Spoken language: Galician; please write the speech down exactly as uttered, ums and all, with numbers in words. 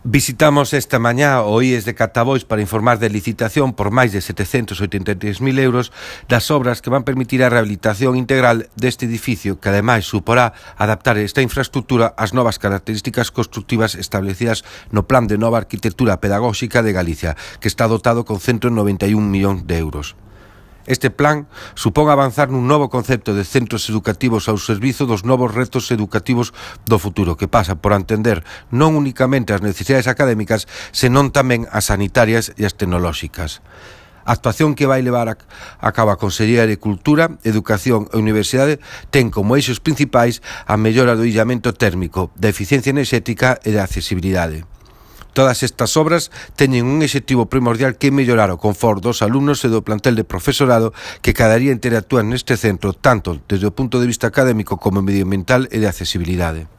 Visitamos esta mañá o I E S de Catabois para informar de licitación por máis de setecentos oitenta e tres mil euros das obras que van permitir a rehabilitación integral deste edificio, que ademais suporá adaptar esta infraestructura ás novas características constructivas establecidas no Plan de Nova Arquitectura Pedagóxica de Galicia, que está dotado con ciento noventa e un millóns de euros. Este plan supón avanzar nun novo concepto de centros educativos ao servizo dos novos retos educativos do futuro, que pasa por atender non únicamente as necesidades académicas, senón tamén as sanitarias e as tecnolóxicas. A actuación que vai levar a, a cabo a Consellería de Cultura, Educación e Universidade ten como eixos principais a mellora do illamento térmico, da eficiencia enerxética e da accesibilidade. Todas estas obras teñen un obxectivo primordial que é mellorar o confort dos alumnos e do plantel de profesorado que cada día interactúan neste centro tanto desde o punto de vista académico como medioambiental e de accesibilidade.